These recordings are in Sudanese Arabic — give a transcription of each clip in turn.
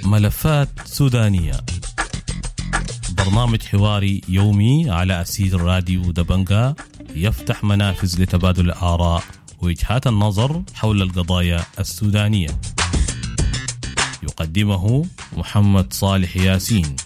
ملفات سودانية، برنامج حواري يومي على أثير راديو دبنجا، يفتح منافذ لتبادل الآراء ووجهات النظر حول القضايا السودانية. يقدمه محمد صالح ياسين.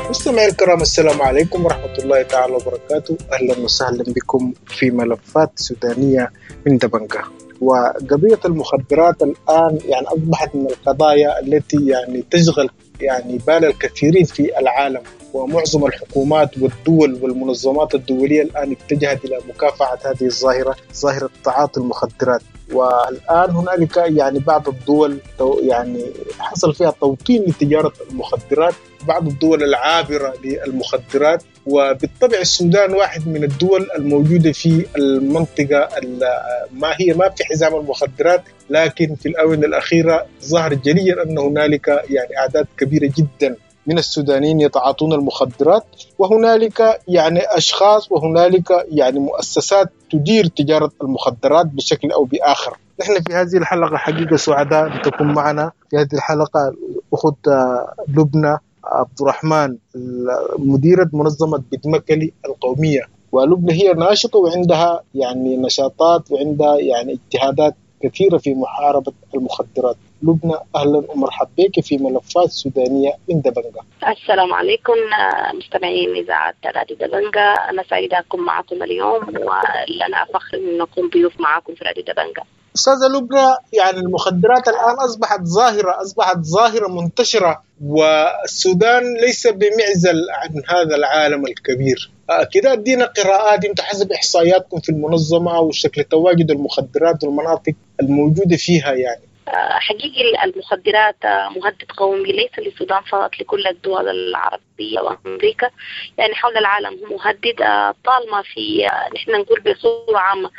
مستمعي الكرام، السلام عليكم ورحمة الله تعالى وبركاته. أهلا وسهلا بكم في ملفات سودانية من دبنجا. وقضية المخدرات الآن يعني أصبحت من القضايا التي يعني تشغل يعني بال الكثيرين في العالم، ومعظم الحكومات والدول والمنظمات الدولية الآن اتجهت إلى مكافحة هذه الظاهرة، ظاهرة تعاطي المخدرات. والآن هنالك يعني بعض الدول يعني حصل فيها توطين لتجارة المخدرات، بعض الدول العابرة للمخدرات، وبالطبع السودان واحد من الدول الموجودة في المنطقة ما هي ما في حزام المخدرات، لكن في الآونة الأخيرة ظهر جليا أن هنالك يعني أعداد كبيرة جدا من السودانيين يتعاطون المخدرات، وهنالك يعني أشخاص وهنالك يعني مؤسسات تدير تجارة المخدرات بشكل أو بآخر. نحن في هذه الحلقة حقيقة سعداء لتكون معنا في هذه الحلقة أخت لبنى عبد الرحمن، مديرة منظمة بتمكلي القومية. ولبنى هي ناشطة وعندها يعني نشاطات وعندها يعني اجتهادات كثيرة في محاربة المخدرات. لبنى، أهلا ومرحبا بك في ملفات سودانية من دبنجا. السلام عليكم مستمعين إذاعة راديو دبنجا، أنا سعيدة أكون معكم اليوم ولنا فخر أن نكون ضيوف معكم في راديو دبنجا. أستاذة لبنى، يعني المخدرات الآن أصبحت ظاهرة منتشرة، والسودان ليس بمعزل عن هذا العالم الكبير. كده ادينا قراءات انت حسب إحصائياتكم في المنظمة وشكل تواجد المخدرات والمناطق الموجودة فيها. يعني حقيقي المخدرات مهدد قومي ليس للسودان فقط، لكل الدول العربية وأمريكا، يعني حول العالم هو مهدد. طالما في، نحن نقول بصورة عامة،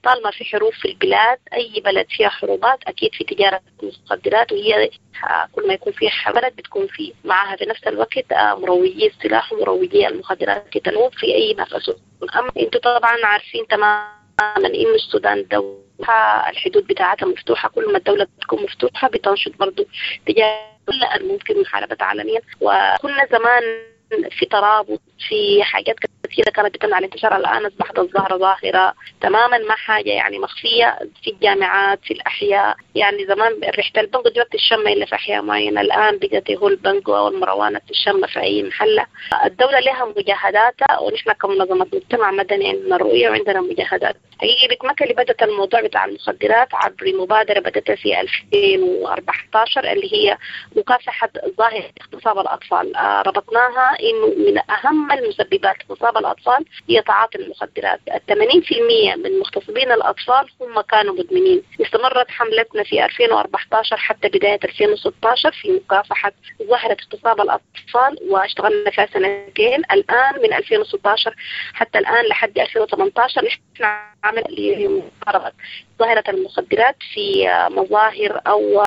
طالما في حروب في البلاد، أي بلد فيها حروبات أكيد في تجارة مخدرات، وهي كل ما يكون فيها بلد بتكون في معها في نفس الوقت مروجي السلاح ومروجي المخدرات تنوب في أي نفس. أما أنتم طبعا عارفين تماما إن السودان دولة الحدود بتاعتها مفتوحة، كل ما الدولة بتكون مفتوحة بتنشط برضو تجارة الممكن محاربتها عالميا. وكنا زمان في ترابط، في حاجات كثيرة كانت بتمنع الانتشار، الآن أصبحت الظاهرة ظاهرة تماما، ما حاجة يعني مخفية في الجامعات، في الأحياء. يعني زمان ريحة البنجو دي ما بتشم إلا في أحياء معينة، الآن بقت هو البنجو أو المروانة تشم في أي محلة. الدولة لها مجاهداتها، ونحن كمنظمة مجتمع مدني عندنا رؤية وعندنا مجاهدات. حقيقي بتمكلي بدأت الموضوع بتاع المخدرات عبر مبادرة بدأت في 2014 اللي هي مكافحة ظاهرة اغتصاب الأطفال. ربطناها إنه من أهم المسببات اغتصاب الأطفال هي تعاطي المخدرات. 80% من مغتصبين الأطفال هم كانوا مدمنين. استمرت حملتنا في 2014 حتى بداية 2016 في مكافحة ظاهرة اغتصاب الأطفال، واشتغلنا فيها سنتين. الآن من 2016 حتى الآن لحد 2018 نحن عمل لمحاربة ظاهرة المخدرات في مظاهر أو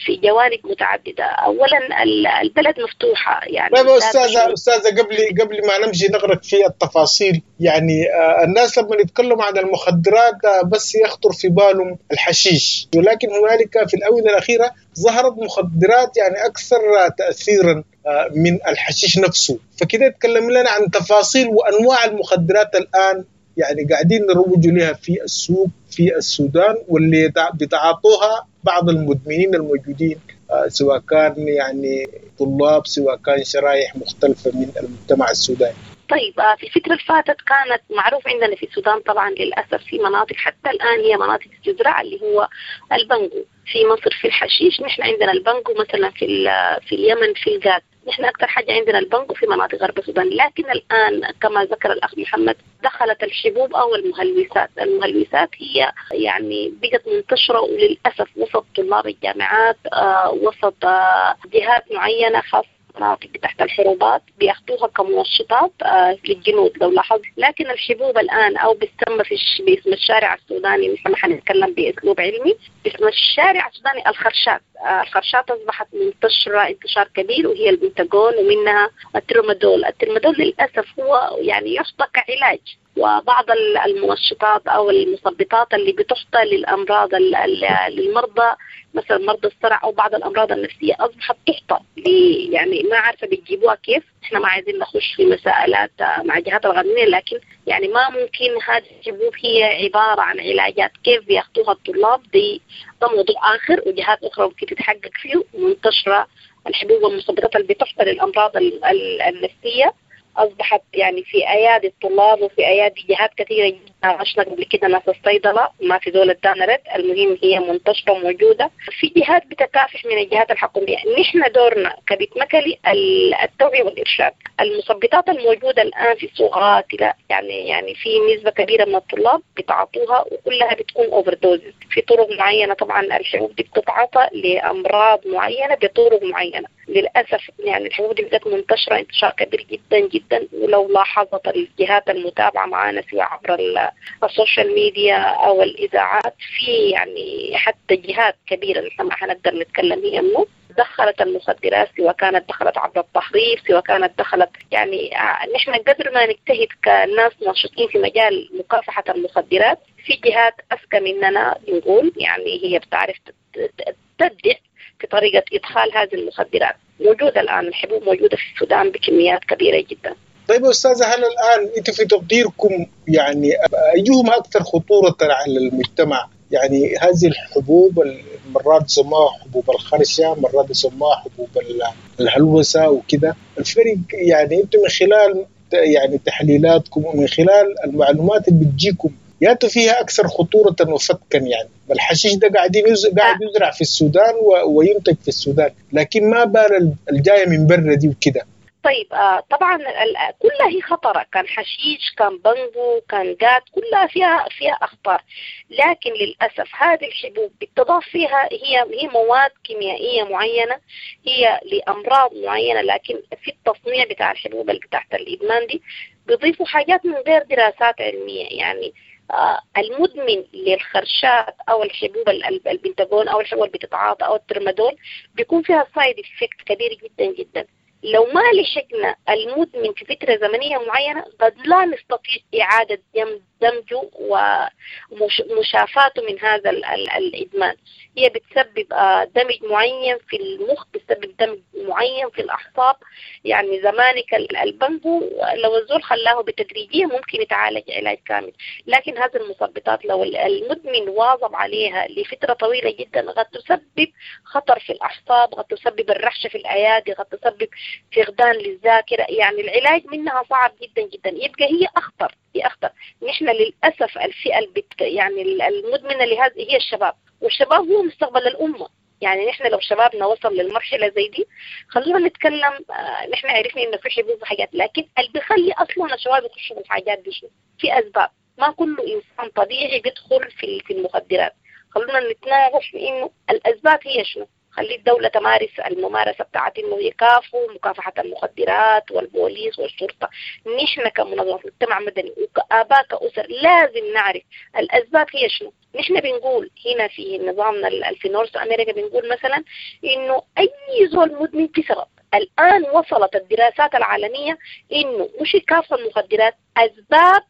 في جوانب متعددة. أولا البلد مفتوحة يعني. طيب أستاذة قبل ما نمشي نغرق في التفاصيل، يعني الناس لما يتكلموا عن المخدرات بس يخطر في بالهم الحشيش، ولكن هنالك في الآونة الأخيرة ظهرت مخدرات يعني أكثر تأثيرا من الحشيش نفسه. فكده تكلم لنا عن تفاصيل وأنواع المخدرات الآن يعني قاعدين نروج لها في السوق في السودان، واللي بيتعاطوها بعض المدمنين الموجودين، سواء كان يعني طلاب، سواء كان شرائح مختلفة من المجتمع السوداني. طيب، في الفترة اللي فاتت كانت معروف عندنا في السودان طبعا للأسف في مناطق حتى الآن هي مناطق الجزرة اللي هو البنجو. في مصر في الحشيش، نحن عندنا البنجو مثلا في اليمن في الغاز، نحن أكثر حاجة عندنا البنجو في مناطق غرب السودان. لكن الآن كما ذكر الأخ محمد دخلت الحبوب أو المهلوسات. المهلوسات هي يعني بقت منتشرة وللأسف وسط طلاب الجامعات، وسط جهات معينة خاصة المناطق تحت الحروبات بياخدوها كمنشطات للجنود لو لاحظت. لكن الحبوب الآن أو بتسمى باسم الشارع السوداني، نحن ما حنتكلم بأسلوب علمي، باسم الشارع السوداني الخرشات. الخرشات أصبحت منتشرة انتشار كبير، وهي البنتاجون ومنها الترمادول. الترمادول للأسف هو يعني يعطى كعلاج، وبعض المنشطات أو المثبطات اللي بتعطى للأمراض للمرضى مثلا مرضى الصرع أو بعض الأمراض النفسية أصبحت تعطى، يعني ما عارفة بتجيبوها كيف. إحنا ما عايزين نخش في مسائلات مع الجهات القانونية، لكن يعني ما ممكن هذه الحبوب هي عبارة عن علاجات كيف بياخدوها الطلاب، دي ده موضوع آخر وجهات أخرى ممكن تتحقق فيه. منتشرة الحبوب والمثبطات اللي بتعطى للأمراض النفسية أصبحت يعني في أيادي الطلاب وفي أيادي جهات كثيرة جدا. عشنا قبل كده ناس الصيدلة ما في دولة ادانا رد. المهم هي منتشرة وموجودة في جهات بتكافح من الجهات الحكومية. نحن دورنا كبيت مكلي التوعية والإرشاد. المثبطات الموجودة الآن في السوق قاتلة، يعني في نسبة كبيرة من الطلاب بتعطوها وكلها بتكون overdose في طرق معينة. طبعا الحبوب دي بتتعاطى لأمراض معينة بطرق معينة. للأسف يعني الحبوب دي بقت منتشرة انتشار كبير جدا جدا، ولو لاحظت الجهات المتابعة معانا سواء عبر ال social media أو الإذاعات، في يعني حتى جهات كبيرة نحن ما حنقدر نتكلم هي منه دخلت المخدرات، سواء كانت دخلت عبر التهريب، سواء كانت دخلت يعني نحن قدر ما نجتهد كناس ناشطين في مجال مكافحة المخدرات، في جهات أذكى مننا نقول يعني هي بتعرف تبدع في طريقة إدخال هذه المخدرات. موجودة الآن الحبوب موجودة في السودان بكميات كبيرة جدا. طيب أستاذة، هل الآن أنت في تقديركم يعني أيهما أكثر خطورة على المجتمع؟ يعني هذه الحبوب مرات يسموها حبوب الخرشة، مرات يسموها حبوب الهلوسة وكذا، الفرق يعني أنتم من خلال يعني تحليلاتكم ومن خلال المعلومات اللي بتجيكم ياتوا فيها أكثر خطورة وفتكا؟ يعني الحشيش ده قاعد يزرع في السودان وينتج في السودان، لكن ما بال الجاية من برا دي وكده. طيب طبعا كلها هي خطرة، كان حشيش، كان بنجو، كان قات، كلها فيها أخطار. لكن للأسف هذه الحبوب بالتضاف فيها هي مواد كيميائية معينة، هي لأمراض معينة، لكن في التصنيع بتاع الحبوب اللي تحت الإدمان دي بيضيفوا حاجات من غير دراسات علمية. يعني المدمن للخرشات أو الحبوب البنتاجون أو الحبوب اللي بتتعاطى أو الترمادول بيكون فيها side effect كبير جدا جدا. لو ما لحقنا المدمن في فترة زمنية معينة قد لا نستطيع إعادة دمجه ومشافاته من هذا الإدمان. هي بتسبب دمج معين في المخ، بتسبب دمج معين في الأعصاب. يعني زمانك البنجو لو الزول خلاه بتدريجية ممكن يتعالج علاج كامل، لكن هذه المثبطات لو المدمن واظب عليها لفترة طويلة جدا قد تسبب خطر في الأعصاب، قد تسبب الرعشة في الأيادي، قد تسبب فقدان للذاكرة. يعني العلاج منها صعب جدا جدا، يبقى هي أخطر، هي أخطر. نحن للأسف الفئة يعني المدمنة لهذه هي الشباب، والشباب هو مستقبل الأمة. يعني نحن لو شبابنا وصل للمرحلة زي دي، خلونا نتكلم نحن عرفنا إنه في حبوب وحاجات، لكن اللي بيخلي أصلا الشباب يخشوا في الحاجات دي شنو؟ في أسباب. ما كل إنسان طبيعي بيدخل في المخدرات. خلونا نتناقش في إنه الأسباب هي شنو. خلي الدولة تمارس الممارسة بتاعت إنه يكافوا مكافحة المخدرات والبوليس والشرطة. نحن كمنظمة مجتمع مدني وكآباء كأسر لازم نعرف الأسباب هي شنو. نحن بنقول هنا في نظامنا في نورث أمريكا بنقول مثلا إنه أي زول مدمن في سبب. الآن وصلت الدراسات العالمية إنه مش يكافح المخدرات، أسباب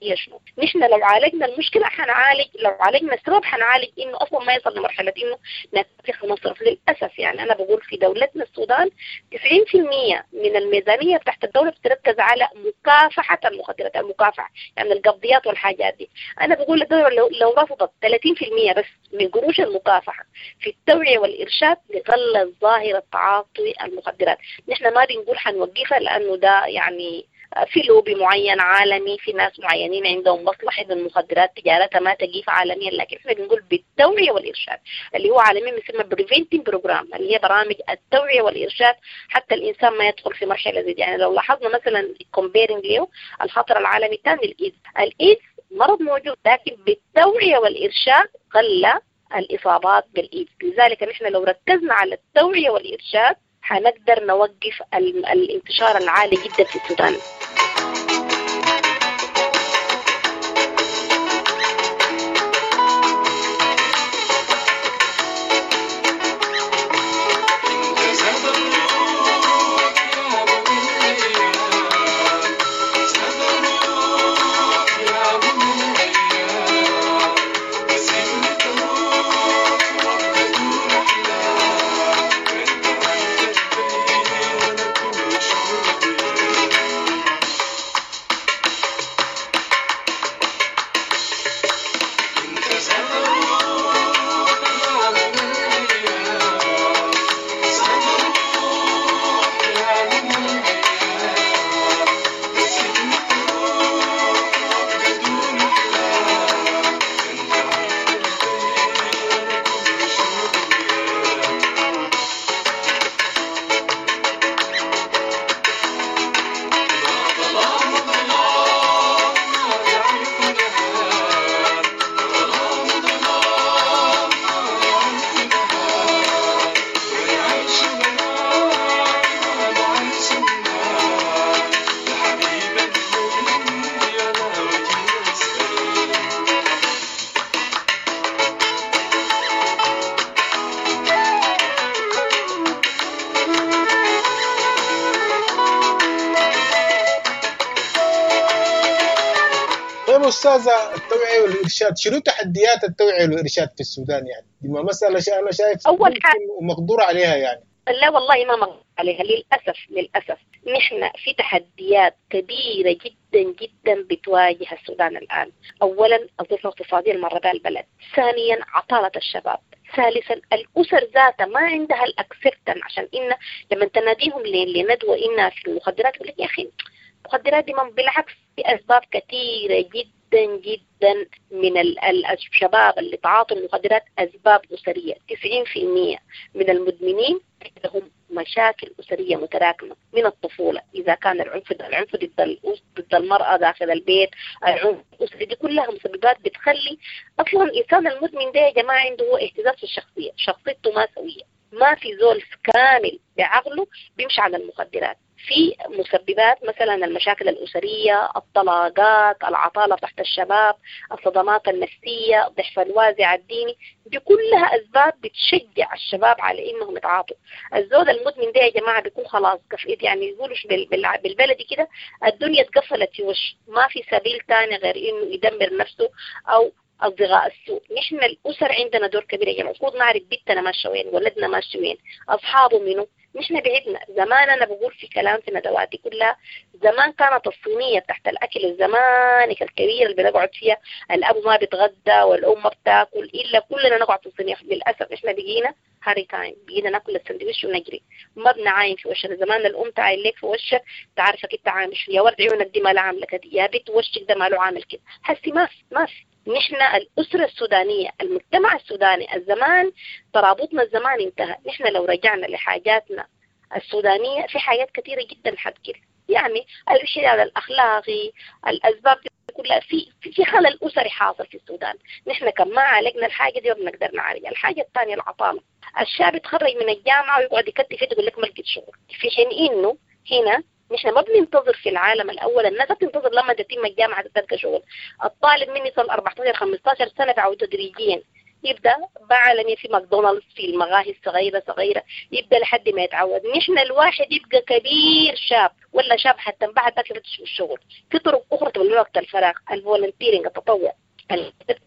هي شنو. نحن لو عالجنا المشكلة حنعالج، لو عالجنا السبب حنعالج إنه أصلا ما يصل لمرحلة إنه نتفخ ونصرف. للأسف يعني أنا بقول في دولتنا السودان 90% من الميزانية تحت الدولة بتركز على مكافحة المخدرات، المكافحة يعني القبضيات والحاجات دي. أنا بقول للدولة لو رفضت 30% بس من قروش المكافحة في التوعية والإرشاد لغلظ ظاهرة تعاطي المخدرات. نحن ما بنقول حنوقفها لأنه ده يعني في لوبي معين عالمي، في ناس معينين عندهم مصلحة المخدرات تجارتها ما تقيف عالميا، لكن احنا بنقول بالتوعية والإرشاد اللي هو عالميا بيسمى preventing program، اللي هي برامج التوعية والإرشاد حتى الإنسان ما يدخل في مرحلة زي دي. يعني لو لاحظنا مثلا comparing له الخطر العالمي الثاني الإيدز، الإيدز مرض موجود لكن بالتوعية والإرشاد قل الإصابات بالإيدز. لذلك نحن لو ركزنا على التوعية والإرشاد حنقدر نوقف الانتشار العالي جدا في السودان. أستاذة، التوعية والإرشاد، شنو تحديات التوعية والإرشاد في السودان؟ يعني دي ما مسألة أنا شايف أول حاجة ومقدور عليها يعني. لا والله ما مقدور عليها للأسف. للأسف نحن في تحديات كبيرة جدا جدا بتواجه السودان الآن. أولا الظروف الاقتصادية المرة بها البلد، ثانيا عطالة الشباب، ثالثا الأسر ذاتها ما عندها الأكسبتن، عشان إن لما تناديهم لندوة إنها في المخدرات يقول لك يا أخي المخدرات دي، بالعكس في أسباب كثيرة جدا جدا من الشباب اللي تعاطوا المخدرات أسباب أسرية. 90% من المدمنين لهم مشاكل أسرية متراكمة من الطفولة، إذا كان العنف ضد المرأة داخل البيت، العنف الأسري، دي كلها مسببات بتخلي أصلا الإنسان المدمن ده يا جماعة عنده هو اهتزاز في الشخصية، شخصيته ما سوية، ما في زول كامل بعقله بيمشي على المخدرات. في مسببات مثلا المشاكل الأسرية، الطلاقات، العطالة تحت الشباب، الصدمات النفسية، ضعف الوازع الديني، دي كلها أسباب بتشجع الشباب على إنهم يتعاطوا. الزول المدمن ده يا جماعة بيكون خلاص كفئت، يعني يقولوا بالبلدي كده الدنيا اتقفلت في وشه، ما في سبيل تاني غير إنه يدمر نفسه أو أصدقاء السوء. نحن الأسر عندنا دور كبير يا جماعة، المفروض نعرف بيتنا ماشي وين، ولدنا ماشي وين، أصحابه منو. نحن بعدنا زمان، أنا بقول في كلام في ندواتي كلها، زمان كانت الصينية تحت الأكل الزمانك الكبير اللي بنقعد فيها، الأب ما بيتغدى والأم ما بتاكل إلا كلنا نقعد في الصينية. للأسف إحنا بقينا hurry time، بقينا ناكل السندويش ونجري، ما بنعاين في وشنا. زمان الأم تعاين لك في وشك تعرفك أنت عامل شو، يا ورد عيونك دي ما لها عاملة كده، يا بنت وشك ده ما له عامل كده. حسي ما في. نحن الأسرة السودانية، المجتمع السوداني الزمان، ترابطنا الزمان انتهى. نحن لو رجعنا لحاجاتنا السودانية في حاجات كثيرة جدا حتكل، يعني الانحلال الأخلاقي، الأسباب دي كلها في خلل أسري حاصل في السودان. نحن كم ما عالجنا الحاجة دي ما بنقدر نعالجها. الحاجة الثانية العطالة، الشاب يتخرج من الجامعة ويقعد يكتف يقول لك ما لقيت شغل، في حين إنه هنا نحن ما بننتظر في العالم الأول، الناس بتنتظر لما تتم الجامعة تلقى شغل. الطالب من يصل 14 15 سنة بعود تدريجيا يبدأ بعالمية في ماكدونالدز، في المغاهي الصغيرة صغيرة، يبدأ لحد ما يتعود. نحن الواحد يبقى كبير شاب ولا شاب حتى بعد ذاك يفتش الشغل. في طرق أخرى تبني وقت الفراغ، ال volunteering، التطوع،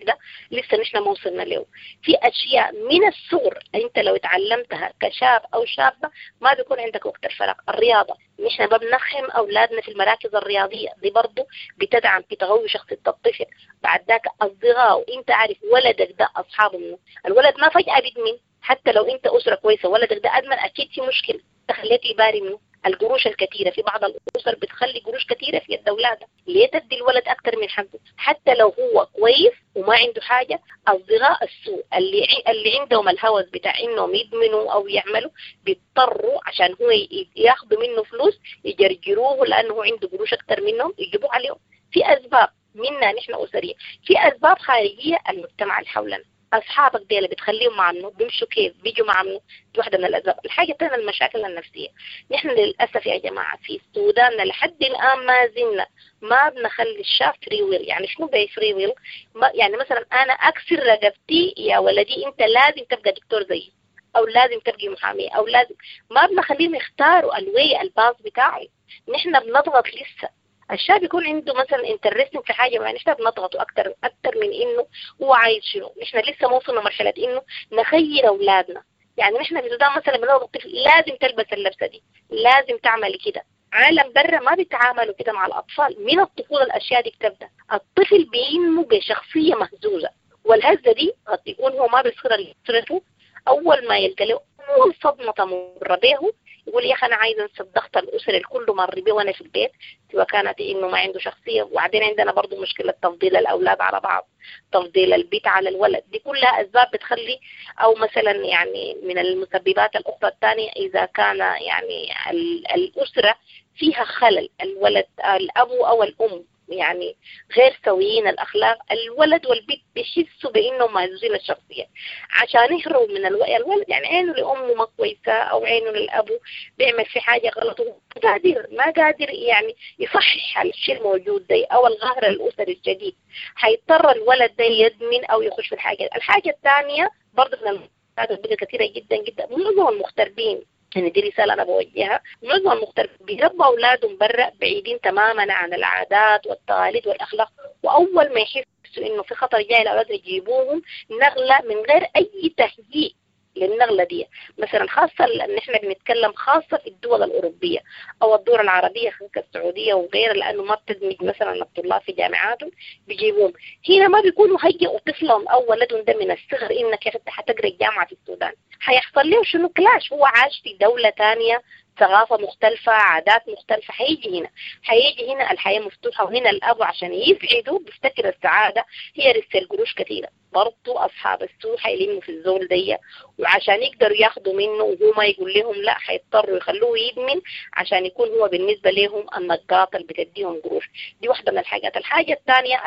ده لسه نحن ما وصلنا له. في أشياء من الصغر أنت لو تعلمتها كشاب أو شابة ما بيكون عندك وقت الفراغ. الرياضة، نحن ما بنخم أولادنا في المراكز الرياضية، دي برضو بتدعم في تغوي شخصية الطفل. بعد ذاك أصدقائه، أنت عارف ولدك ده أصحابه منه. الولد ما فجأة بيدمن، حتى لو أنت أسرة كويسة ولدك ده أدمن أكيد في مشكلة تخليته يباري منه. القروش الكثيرة، في بعض الأسر بتخلي قروش كثيرة في يد أولادها، ليه تدي الولد أكثر من حقه؟ حتى لو هو كويس وما عنده حاجة. أصدقاء السوء اللي عندهم الهوس بتاع إنهم يدمنوا أو يعملوا، بيضطروا عشان هو ياخذوا منه فلوس يجرجروه لأنه هو عنده قروش أكثر منهم يجيبوه عليهم. في أسباب منا نحن أسرية، في أسباب خارجية المجتمع اللي حولنا. اصحابك ديل بتخليهم مع منو؟ بيمشوا كيف؟ بيجوا مع منو؟ دي واحدة من الاسباب. الحاجة الثانية المشاكل النفسية. نحن للاسف يا جماعة في السودان لحد الان ما زلنا ما بنخلي الشاب free will. يعني شنو بي free will؟ يعني مثلا انا اكسر رقبتي يا ولدي انت لازم تبقى دكتور زيي، او لازم تبقي محاميه، او لازم، ما بنخليهم يختاروا ال way ال path بتاعهم. نحن بنضغط لسه الشاب يكون عنده مثلا interesting في حاجة معينة، نحن بنضغطه اكثر من انه هو عايز شنو. نحن لسه ما وصلنا مرحلة انه نخير اولادنا. يعني نحن في السودان مثلا بنقول الطفل لازم تلبس اللبسه دي، لازم تعمل كده. عالم برا ما بيتعاملوا كده مع الاطفال من الطفولة. الاشياء دي بتبدا الطفل بينمو بشخصية مهزوزة، والهزه دي قد يكون هو ما بيصير لاسرته. اول ما يلقى له اول صدمة تمر به يقول يا اخي انا عايز انسى الضغط الاسري الكل مر به وانا في البيت، سواء كانت انه ما عنده شخصية. وبعدين عندنا برضه مشكلة تفضيل الاولاد على بعض، تفضيل البيت على الولد، دي كلها اسباب بتخلي، او مثلا يعني من المسببات الاخرى الثانية اذا كان يعني الاسرة فيها خلل، الولد الاب او الام يعني غير سويين الاخلاق، الولد والبنت بيحسوا بانهم مهزوزين الشخصية عشان يهربوا من الولد يعني عينه لامه ما كويسة او عينه للابو بيعمل في حاجة غلط، قادر ما قادر يعني يصحح الشيء الموجود ده او القهر الاسري الشديد، حيضطر الولد ده يدمن او يخش في الحاجة. الحاجة الثانية برضه من المشاكل كثيرة جدا جدا، معظم المغتربين، يعني دي رسالة أنا بوجهها، معظم المغتربين بيربوا أولادهم برا بعيدين تماما عن العادات والتقاليد والأخلاق، وأول ما يحسوا إنه في خطر جاي الأولاد يجيبوهم نغلة من غير أي تهيئ للنغلة دي. مثلا خاصة إن إحنا بنتكلم خاصة في الدول الأوروبية أو الدول العربية كالسعودية وغيرها، لأنه ما بتدمج مثلا الطلاب في جامعاتهم بيجيبوهم هنا، ما بيكونوا هيئوا طفلهم أو ولدهم ده من الصغر إنك يا أخي حتقرأ الجامعة في السودان. حيحصل له شنو؟ كلاش. هو عاش في دولة تانية، ثقافة مختلفة، عادات مختلفة، حيجي هنا الحياة مفتوحة، وهنا الأب عشان يسعده بيفتكر السعادة هي رسل قروش كثيرة. برضو أصحاب السوء حيلموا في الزول دي، وعشان يقدروا ياخدوا منه وهو ما يقول لهم لا، حيضطروا يخلوه يدمن عشان يكون هو بالنسبة لهم النقاط اللي بتديهم قروش. دي واحدة من الحاجات. الحاجة الثانية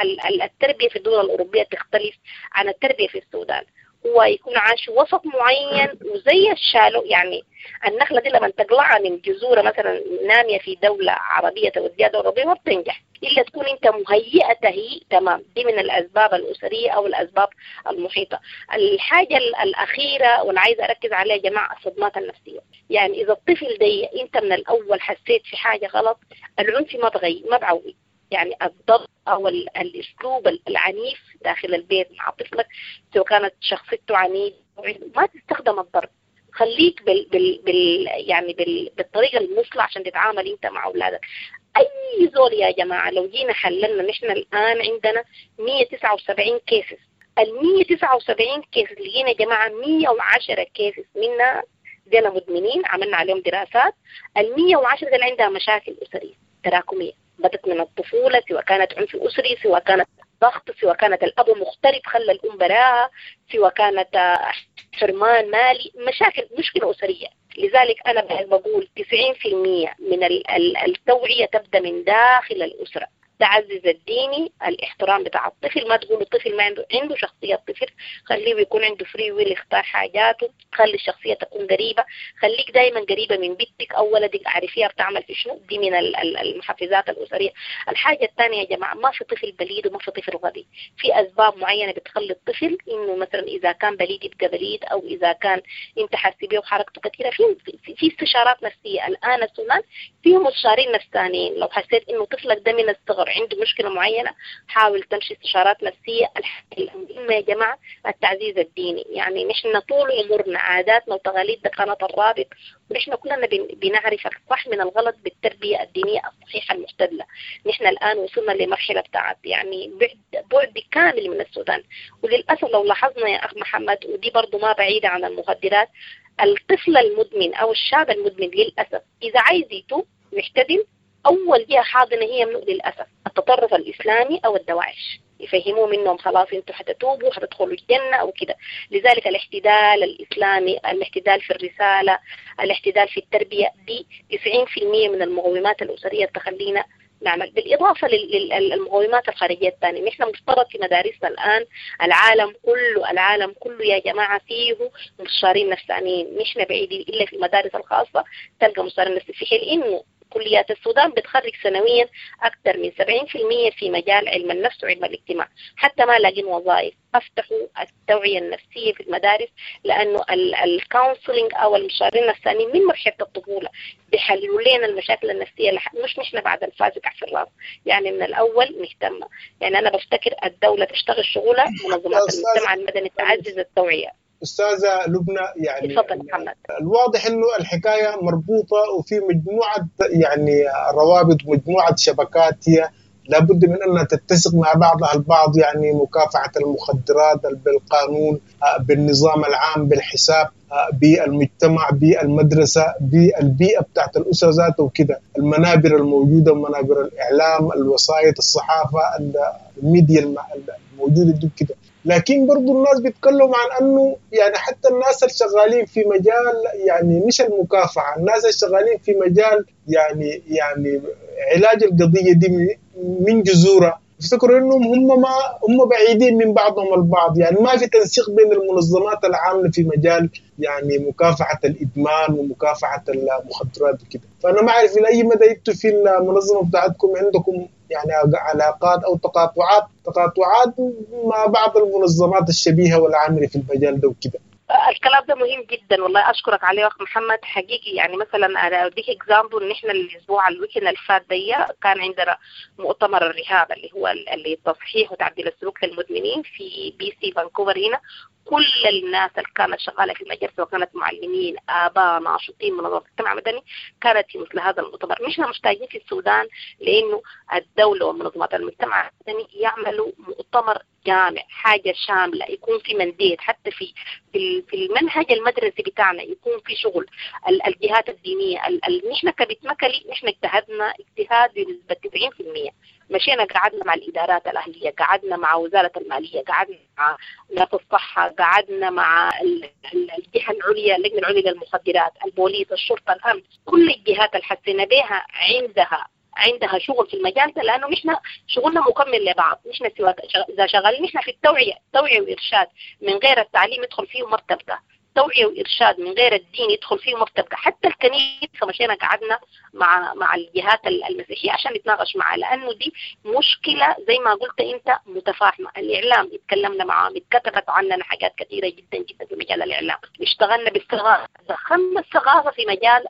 التربية في الدول الأوروبية تختلف عن التربية في السودان. هو يكون عايش وسط معين وزي الشالو، يعني النخلة دي لما تقلعها من جذورها مثلا نامية في دولة عربية توديها دولة أوروبية ما بتنجح إلا تكون أنت مهيئة تهيئ تمام. دي من الأسباب الأسرية أو الأسباب المحيطة. الحاجة الأخيرة واللي عايزة أركز عليها يا جماعة الصدمات النفسية. يعني إذا الطفل دي أنت من الأول حسيت في حاجة غلط، العنف ما بغي ما بعوي، يعني الضرب أو الأسلوب العنيف داخل البيت مع طفلك سواء كانت شخصيته عنيدة، ما تستخدم الضرب، خليك بال يعني بالطريقة المثلى عشان تتعامل أنت مع أولادك. أي زول يا جماعة لو جينا حللنا، نحن الآن عندنا 179 cases، ال 179 case لقينا يا جماعة 110 cases منها دينا مدمنين، عملنا عليهم دراسات. ال 110 دي عندها مشاكل أسرية تراكمية بدت من الطفولة، سواء كانت عنف أسري، سواء كانت ضغط، سواء كانت الأب مغترب خلى الأم براها، سواء كانت حرمان مالي، مشاكل، مشكلة أسرية. لذلك أنا بقول 90% من التوعية تبدأ من داخل الأسرة. تعزز الديني، الاحترام بتاع الطفل، ما تقول الطفل ما عنده شخصية الطفل، خليه يكون عنده free will يختار حاجاته، خلي الشخصية تكون قريبة، خليك دايما قريبة من بنتك أو ولدك، اعرفيها بتعمل في شنو. دي من المحفزات الأسرية. الحاجة الثانية يا جماعة، ما في طفل بليد وما في طفل غبي، في أسباب معينة بتخلي الطفل إنه مثلا إذا كان بليد يبقى بليد، أو إذا كان أنت حاسس بيه وحركته كثيرة. في استشارات نفسية الآن السودان فيه مستشارين نفسانيين، لو حسيت إنه طفلك ده من الصغر عنده مشكلة معينة حاول تمشي استشارات نفسية. المهمة يا جماعة التعزيز الديني، يعني نحن طول عمرنا عاداتنا وتقاليدنا قناة الرابط، ونحن كلنا بنعرف الصح من الغلط بالتربية الدينية الصحيحة المعتدلة. نحن الآن وصلنا لمرحلة بتاعت يعني بعد كامل من السودان، وللأسف لو لاحظنا يا أخ محمد، ودي برضو ما بعيدة عن المخدرات، الطفل المدمن أو الشاب المدمن للأسف إذا عايز يتوب ويحتدم أول جهة حاضنة هي منه للأسف التطرف الإسلامي أو الدواعش، يفهموه منهم خلاص انتوا حتتوبوا حتدخلوا الجنة أو كده. لذلك الاحتدال الإسلامي، الاحتدال في الرسالة، الاحتدال في التربية، دي 90% من المقومات الأسرية تخلينا نعمل. بالإضافة للمقومات الخارجية الثانية، نحن مفترض في مدارسنا الآن العالم كله، العالم كله يا جماعة فيه مستشارين نفسانيين، نحن بعيدين إلا في المدارس الخاصة تلقى مستشارين نفسانيين، في حين إنه كليات السودان بتخرج سنويا أكثر من 70% في مجال علم النفس وعلم الاجتماع، حتى ما لاقين وظائف. افتحوا التوعية النفسية في المدارس، لأنه ال counseling أو المستشارين النفسانيين من مرحلة الطفولة بيحلوا لنا المشاكل النفسية، مش نحن بعد الفاز يقع في الراس، يعني من الأول نهتم. يعني أنا بفتكر الدولة تشتغل شغلها، منظمات المجتمع المدني تعزز التوعية. أستاذة لبنى، يعني تفضل محمد. الواضح إنه الحكاية مربوطة وفي مجموعة يعني روابط، مجموعة شبكات هي لابد من أنها تتسق مع بعضها البعض، يعني مكافحة المخدرات بالقانون، بالنظام العام، بالحساب، بالمجتمع، بالمدرسة، بالبيئة بتاعت الأسرة ذاته وكده، المنابر الموجودة، منابر الإعلام، الوسائط، الصحافة، الميديا الموجودة دي كده. لكن برضو الناس بيتكلموا عن أنه يعني حتى الناس الشغالين في مجال يعني مش المكافحة، الناس الشغالين في مجال يعني علاج القضية دي من جذورها، يفتكروا انهم هم ما هم بعيدين من بعضهم البعض، يعني ما في تنسيق بين المنظمات العاملة في مجال يعني مكافحة الادمان ومكافحه المخدرات وكده. فانا ما اعرف الى اي مدى انتوا في المنظمة بتاعتكم عندكم يعني علاقات او تقاطعات مع بعض المنظمات الشبيهة والعامله في المجال ده وكده. الكلام ده مهم جدا والله، اشكرك عليه اخ محمد حقيقي. يعني مثلا انا اديك example، ان احنا الاسبوع ال weekend اللي فات دي كان عندنا مؤتمر ال rehab اللي هو اللي تصحيح وتعديل السلوك للمدمنين في BC فانكوفر هنا. كل الناس اللي كانت شغالة في المجال سواء كانت معلمين، اباء، ناشطين، منظمات المجتمع المدني، كانت في مثل هذا المؤتمر. نحن محتاجين في السودان لانه الدولة ومنظمات المجتمع المدني يعملوا مؤتمر جامع، حاجة شاملة، يكون في mandate حتى في المنهج المدرسي بتاعنا، يكون في شغل الجهات الدينية. نحن كبتمكلي نحن اجتهدنا اجتهاد بنسبة 90%، مشينا قعدنا مع الادارات الاهلية، قعدنا مع وزارة المالية، قعدنا مع ناس الصحة، قعدنا مع الجهة العليا، اللجنة العليا للمخدرات، البوليس، الشرطة، الامن، كل الجهات اللي حسينا بها عندها شغل في المجال ده، لانه نحن شغلنا مكمل لبعض. نحن سواء اذا شغالين نحن في التوعية، توعيه وارشاد من غير التعليم يدخل فيه ما بتبقى، توعيه وارشاد من غير الدين يدخل فيه ما بتبقى. حتى الكنيسة مشينا قعدنا مع الجهات المسيحية عشان نتناقش معها، لانه دي مشكلة زي ما قلت انت متفاهمه. الاعلام اتكلمنا معاهم، اتكتبت عننا حاجات كثيرة جدا جدا في مجال الاعلام، اشتغلنا بالثقافة، دخلنا الثقافة في مجال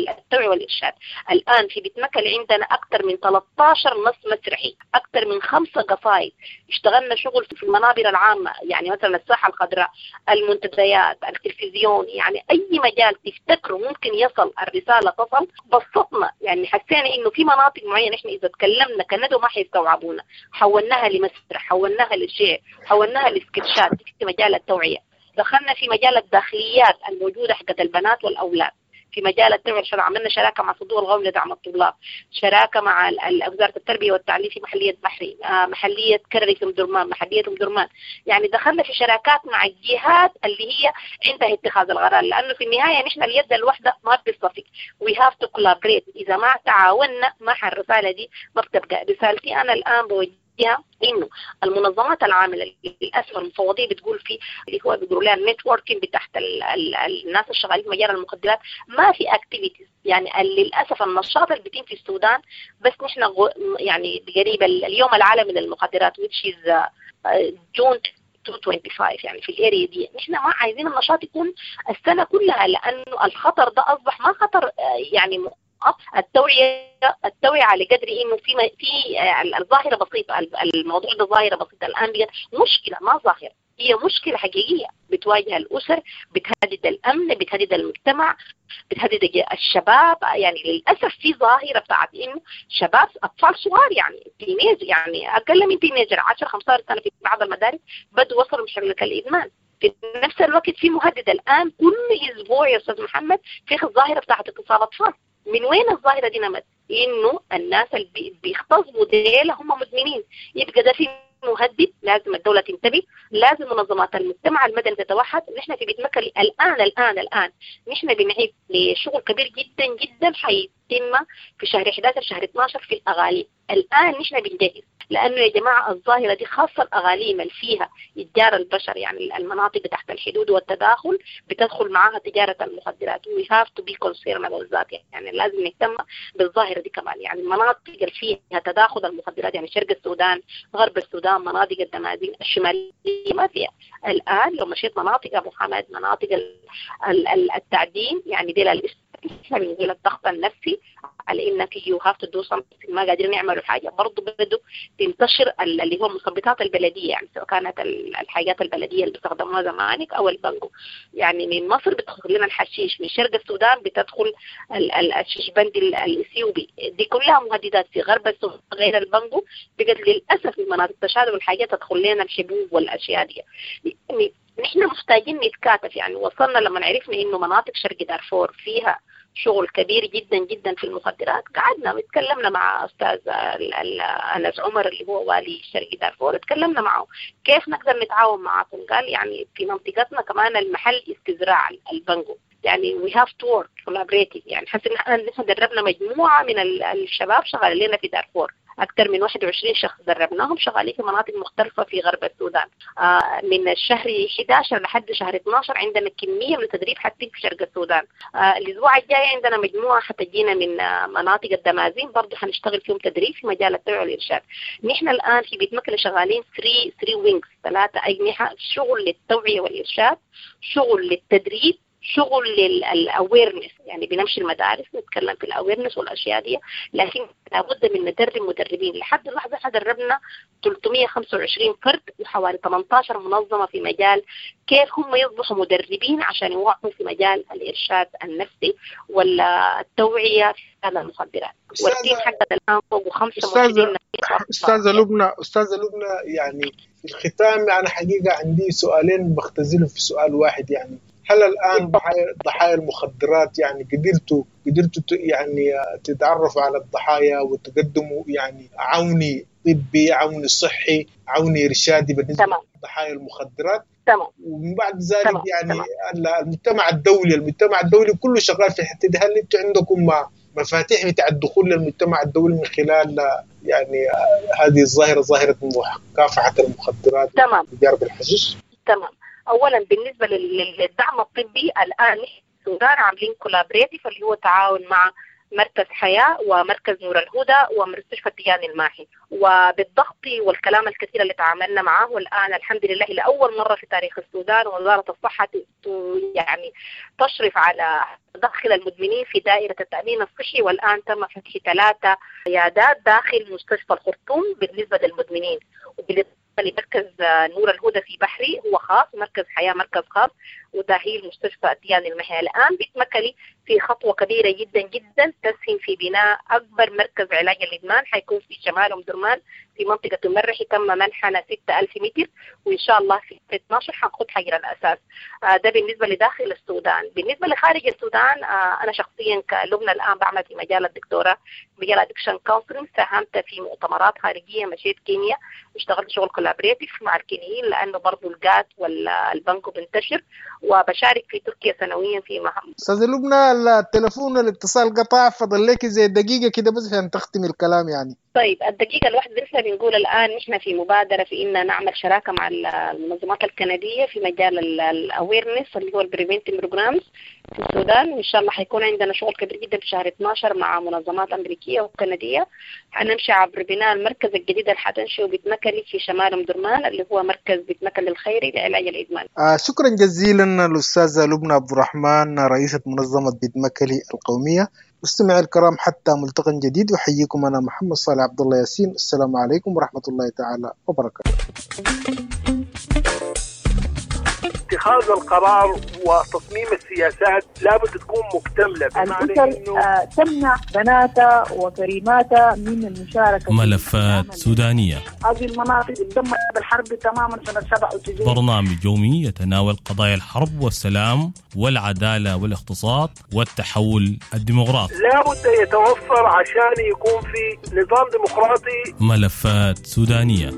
التوعية والارشاد. الان في بتمكل عندنا اكثر من 13 نص مسرحي، اكثر من 5 قصائد، اشتغلنا شغل في المنابر العامة، يعني مثلا الساحة الخضراء، المنتديات، التلفزيون، يعني اي مجال تفتكروا ممكن يصل الرسالة تصل. بسطنا، يعني حسينا انه في مناطق معينة احنا اذا تكلمنا كندو ما حيستوعبونا، حولناها لمسرح، حولناها للشعر، حولناها لسكتشات في مجال التوعية. دخلنا في مجال الداخليات الموجودة حقت البنات والاولاد في مجال التوعية، عملنا شراكة مع صندوق القومي لدعم الطلاب، شراكة مع وزارة التربية والتعليم في محليه بحري، محليه كرري في مدرمان، محليه مدرمان. يعني دخلنا في شراكات مع الجهات اللي هي عندها اتخاذ القرار، لانه في النهاية نحن اليد الواحدة ما بتصفق، we have to collaborate. اذا ما تعاوننا مع الرسالة دي ما بتبقى. رسالتي انا الان بوجهها انه المنظمات العاملة للاسف المفوضية بتقول في اللي هو بيقولوا لها ال networking بتاعت الناس الشغالين في مجال المخدرات، ما في activities. يعني للاسف النشاط اللي بيتم في السودان بس نحن يعني قريب اليوم العالمي للمخدرات which is June 225، يعني في ال area دي نحن ما عايزين النشاط يكون السنة كلها، لانه الخطر ده اصبح ما خطر يعني التوعية على قدر انه في الظاهرة بسيطة، الموضوع ده ظاهرة بسيطة الان بقت مشكلة، ما ظاهرة، هي مشكلة حقيقية بتواجه الأسر، بتهدد الأمن، بتهدد المجتمع، بتهدد الشباب. يعني للأسف في ظاهرة بتاعت إنه شباب أطفال صغار، يعني teenage، يعني أقل من teenager 10-15 سنة في بعض المدارس بدوا وصلوا مشكلة الإدمان. في نفس الوقت في مهدد الآن كل أسبوع يا أستاذ محمد في الظاهرة بتاعت اغتصاب أطفال. من وين الظاهرة دي نمت؟ إنه الناس اللي بيغتصبوا ديل هم مدمنين، يبقى ده في مهدد، لازم الدولة تنتبه، لازم منظمات المجتمع المدني تتوحد. نحن في بيت مكة الآن الآن الآن نحن بنعيد لشغل كبير جدا جدا حتتم في شهر 11 شهر 12 في الأغاليم. الآن نحن بنجهز، لأنه يا جماعة الظاهرة دي خاصة الأغاليم اللي فيها إتجار البشر، يعني المناطق تحت الحدود والتداخل بتدخل معاها تجارة المخدرات. We have to be concerned about that، يعني لازم نهتم بالظاهرة دي كمان. يعني المناطق اللي فيها تداخل المخدرات، يعني شرق السودان، غرب السودان، مناطق الدمازين الشمالية ما فيها. الآن لو مشيت مناطق أبو حمد، مناطق التعدين، يعني دي احنا بنقول الضغط النفسي على انك you have to do something، ما قادرين يعملوا حاجة. برضه بدوا تنتشر اللي هو المثبطات البلدية، يعني سواء كانت الحاجات البلدية اللي بيستخدموها زمانك او البنجو. يعني من مصر بتدخل لنا الحشيش، من شرق السودان بتدخل الششبندي الاثيوبي. دي كلها مهددات. في غرب السودان غير البنجو بقت للاسف في مناطق تشاد والحاجات تدخل لنا الحبوب والاشياء دي. يعني نحن محتاجين نتكاتف. يعني وصلنا لما عرفنا انه مناطق شرق دارفور فيها شغل كبير جدا جدا في المخدرات، قعدنا وتكلمنا مع استاذ انس عمر اللي هو والي شرق دارفور، تكلمنا معه كيف نقدر نتعاون معاكم. قال يعني في منطقتنا كمان المحل استزراع البنجو، يعني we have to work collaborative. يعني حس ان نحن دربنا مجموعة من الشباب شغالين لنا في دارفور، أكثر من 21 شخص دربناهم شغالين في مناطق مختلفة في غرب السودان. من الشهر 11 لحد شهر 12 عندنا كمية من التدريب حتى في شرق السودان. الأسبوع الجاي عندنا مجموعة حتجينا من مناطق الدمازين برضه حنشتغل فيهم تدريب في مجال التوعية والإرشاد. نحن الآن في بيت مكلي شغالين 3 wings، 3 أجنحة، شغل للتوعية والإرشاد، شغل للتدريب، شغل لل awareness. يعني بنمشي المدارس نتكلم في ال awareness والاشياء دي، لكن لابد من ندرب مدربين. لحد اللحظة احنا دربنا 325 فرد وحوالي 18 منظمة في مجال كيف هم يصبحوا مدربين عشان يوعوا في مجال الارشاد النفسي والتوعية في هذا المخدرات. وال team حقنا الان فوق 25. استاذه لبنى، يعني في الختام انا حقيقة عندي سؤالين بختزلهم في سؤال واحد. يعني هل الآن ضحايا المخدرات يعني قدرتوا يعني تتعرفوا على الضحايا وتقدموا يعني عوني طبي، عوني صحي، عوني إرشادي بالنسبة لضحايا المخدرات؟ تمام. ومن بعد ذلك تمام. يعني تمام. المجتمع الدولي كله شغال في الحتة دي. هل انتم عندكم مفاتيح بتاع الدخول للمجتمع الدولي من خلال يعني هذه الظاهرة، ظاهرة مكافحة المخدرات؟ تمام. وتجارة الحشيش؟ تمام. اولا بالنسبة للدعم الطبي، الان نحن في السودان عاملين collaborative اللي هو تعاون مع مركز حياة ومركز نور الهدى ومستشفى التيان الماحي، وبالضغط والكلام الكثير اللي تعاملنا معه الآن الحمد لله لأول مرة في تاريخ السودان وزارة الصحة يعني تشرف على دخل المدمنين في دائرة التأمين الصحي، والآن تم فتح 3 عيادات داخل مستشفى الخرطوم بالنسبة للمدمنين. وبالإضافة لمركز نور الهدى في بحري هو خاص، مركز حياة مركز خاص، وتأهيل مستشفى التيان المحي. الآن بيتمكلي في خطوة كبيرة جدا جدا تسهم في بناء أكبر مركز علاج الإدمان، حيكون في شمال أم درمان في منطقة المرحي، تم منحنا 6000 متر، وإن شاء الله في 12 حنخد حجر الأساس. ده بالنسبة لداخل السودان. بالنسبة لخارج السودان، أنا شخصيا كلبنى الآن بعمل في مجال الدكتوراه، مجال addiction counseling، ساهمت في مؤتمرات خارجية، مشيت كينيا اشتغلت شغل collaborative مع الكينيين لأنه برضو القات والبنكو بنتشر، وبشارك في تركيا سنويا في مهام. أستاذة لبنى، التلفون الاتصال قطع، فضل لك زي دقيقة كده بس عشان تختمي الكلام يعني. طيب الدقيقة الواحدة، نحن بنقول الآن نحن في مبادرة في إن نعمل شراكة مع المنظمات الكندية في مجال ال awareness اللي هو ال preventive programs في السودان، وإن شاء الله حيكون عندنا شغل كبير جدا في شهر 12 مع منظمات أمريكية وكندية. حنمشي عبر بناء المركز الجديد اللي حتنشئه بيتمكلي في شمال أم درمان اللي هو مركز بيتمكلي الخيري لعلاج الإدمان. شكرا جزيلا الأستاذة لبنى عبد الرحمن، رئيسة منظمة بيتمكلي القومية. مستمعي الكرام، حتى ملتقى جديد، أحييكم أنا محمد صالح عبد الله ياسين. السلام عليكم ورحمة الله تعالى وبركاته. اتخاذ القرار وتصميم السياسات لابد تكون مكتملة، بمعنى إنه تمنع بناتها وكريماتها من المشاركة. ملفات سودانية، هذه المناطق تدمرت بالحرب تماما سنة 97. برنامج يومي يتناول قضايا الحرب والسلام والعدالة والاقتصاد والتحول الديمقراطي. لابد يتوفر عشان يكون في نظام ديمقراطي. ملفات سودانية.